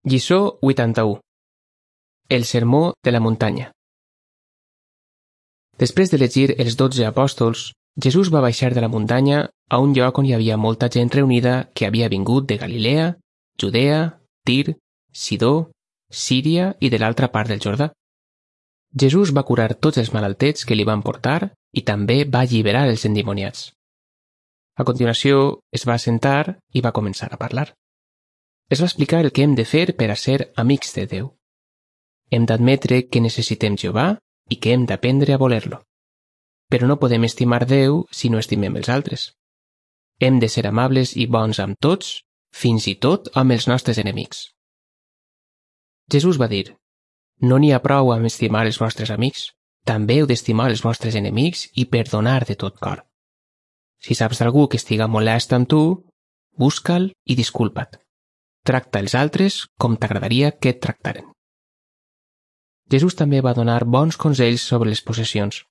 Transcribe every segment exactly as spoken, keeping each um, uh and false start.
Lliçó vuitanta-u. El sermó de la muntanya. Després d'elegir els dotze apòstols, Jesús va baixar de la muntanya a un lloc on hi havia molta gent reunida que havia vingut de Galilea, Judea, Tir, Sidó, Síria i de l'altra part del Jordà. Jesús va curar tots els malaltets que li van portar i també va alliberar els endimoniats. A continuació, es va assentar i va començar a parlar. Es va explicar el que hem de fer per a ser amics de Déu. Hem d'admetre que necessitem Jehovà i que hem d'aprendre a voler-lo. Però no podem estimar Déu si no estimem els altres. Hem de ser amables i bons amb tots, fins i tot amb els nostres enemics. Jesús va dir: no n'hi ha prou amb estimar els vostres amics, també heu d'estimar els vostres enemics i perdonar de tot cor. Si saps d'algú que estiga molest amb tu, busca'l i disculpa't. Tracta els altres com t'agradaria que et tractaren. Jesús també va donar bons consells sobre les possessions.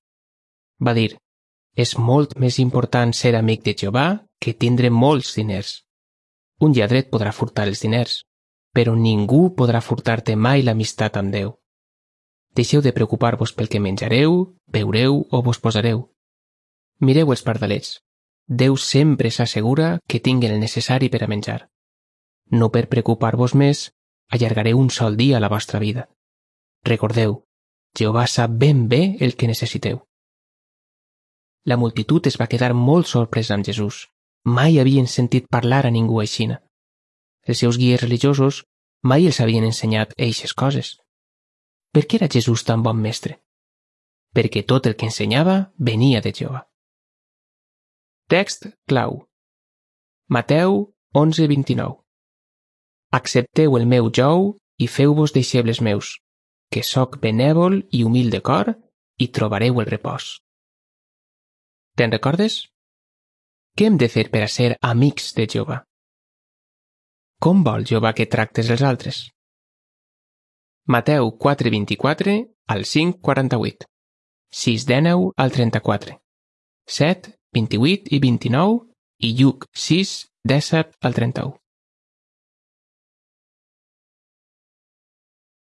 Va dir: és molt més important ser amic de Jehovà que tindre molts diners. Un lladret podrà furtar els diners, però ningú podrà furtar-te mai l'amistat amb Déu. Deixeu de preocupar-vos pel que menjareu, beureu o vos posareu. Mireu els pardalets. Déu sempre s'assegura que tinguen el necessari per a menjar. No per preocupar-vos més, allargareu un sol dia a la vostra vida. Recordeu, Jehovà sap ben bé el que necessiteu. La multitud es va quedar molt sorpresa amb Jesús. Mai havien sentit parlar a ningú aixina. Els seus guies religiosos mai els havien ensenyat eixes coses. Per què era Jesús tan bon mestre? Perquè tot el que ensenyava venia de Jehovà. Text clau. Mateu onze vint-i-nou. Accepteu el meu jou i feu-vos deixebles meus, que sóc benèvol i humil de cor, i trobareu el repòs. Te'n recordes? Què hem de fer per a ser amics de Jehovà? Com vol Jehovà que tractes els altres? Mateu quatre vint-i-quatre al cinc quaranta-vuit, sis dinou al trenta-quatre, set vint-i-vuit i vint-i-nou i Lluc sis disset al trenta-u.